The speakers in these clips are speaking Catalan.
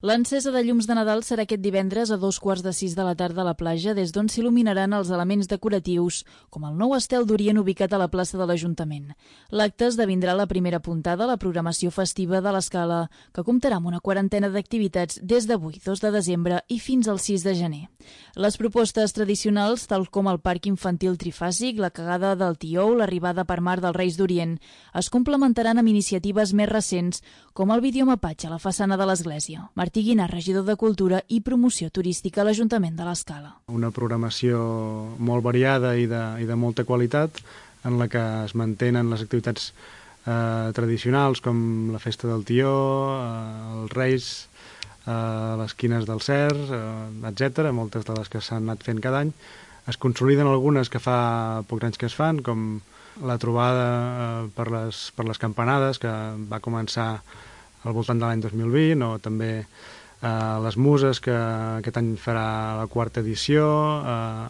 L'encesa de llums de Nadal serà aquest divendres a 2:15 de la tarda a la platja, des d'on s'il·luminaran els elements decoratius, com el nou estel d'Orient ubicat a la plaça de l'Ajuntament. L'acte esdevindrà la primera puntada a la programació festiva de l'Escala, que comptarà amb una quarantena d'activitats des d'avui, 2 de desembre, i fins al 6 de gener. Les propostes tradicionals, tal com el parc infantil trifàsic, la cagada del Tió, l'arribada per mar dels Reis d'Orient, es complementaran amb iniciatives més recents, com el videomapatge a la façana de l'església. Martí Guinar, regidor de Cultura i Promoció Turística a l'Ajuntament de l'Escala. Una programació molt variada i de molta qualitat, en la que es mantenen les activitats tradicionals, com la Festa del Tió, els Reis, les Quines del Cer, etc. Moltes de les que s'han anat fent cada any. Es consoliden algunes que fa pocs anys que es fan, com la trobada per les campanades, que va començar al voltant de l'any 2020, o també les Muses, que aquest any farà la 4ª edició,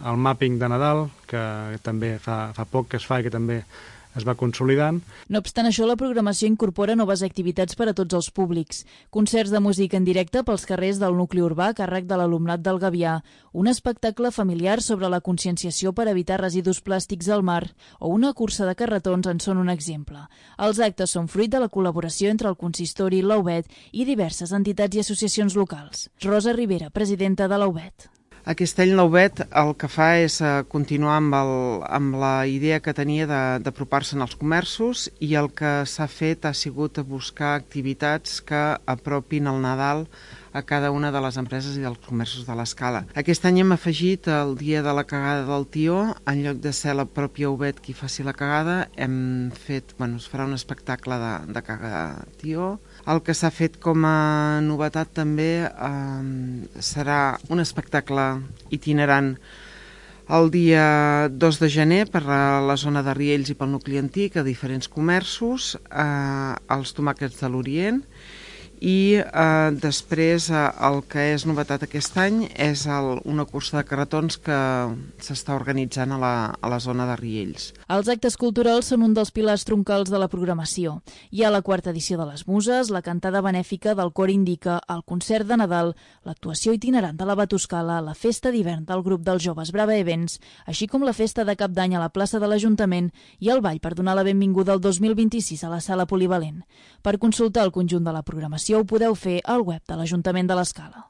el Mapping de Nadal, que també fa poc que es fa i que també es va consolidant. No obstant això, la programació incorpora noves activitats per a tots els públics. Concerts de música en directe pels carrers del nucli urbà a càrrec de l'alumnat del Gavià, un espectacle familiar sobre la conscienciació per evitar residus plàstics al mar o una cursa de carretons en són un exemple. Els actes són fruit de la col·laboració entre el Consistori, l'AUBET i diverses entitats i associacions locals. Rosa Rivera, presidenta de l'AUBET. Aquest any l'AUBET el que fa és continuar amb la idea que tenia d'apropar-se'n als comerços, i el que s'ha fet ha sigut buscar activitats que apropin el Nadal a cada una de les empreses i dels comerços de l'Escala. Aquest any hem afegit el dia de la cagada del Tió. En lloc de ser la pròpia AUBET qui faci la cagada, es farà un espectacle de cagada de Tió. El que s'ha fet com a novetat també serà un espectacle itinerant el dia 2 de gener per a la zona de Riells i pel nucli antic, a diferents comerços, els tomàquets de l'Orient. I després el que és novetat aquest any és una cursa de carretons que s'està organitzant a la zona de Riells. Els actes culturals són un dels pilars troncals de la programació. Hi ha la 4ª edició de les Muses, la cantada benèfica del Cor Indica, el concert de Nadal, l'actuació itinerant de la Batuscala, la festa d'hivern del grup dels joves Brava Events, així com la festa de Cap d'Any a la plaça de l'Ajuntament i el ball per donar la benvinguda al 2026 a la sala polivalent. Per consultar el conjunt de la programació ho podeu fer al web de l'Ajuntament de l'Escala.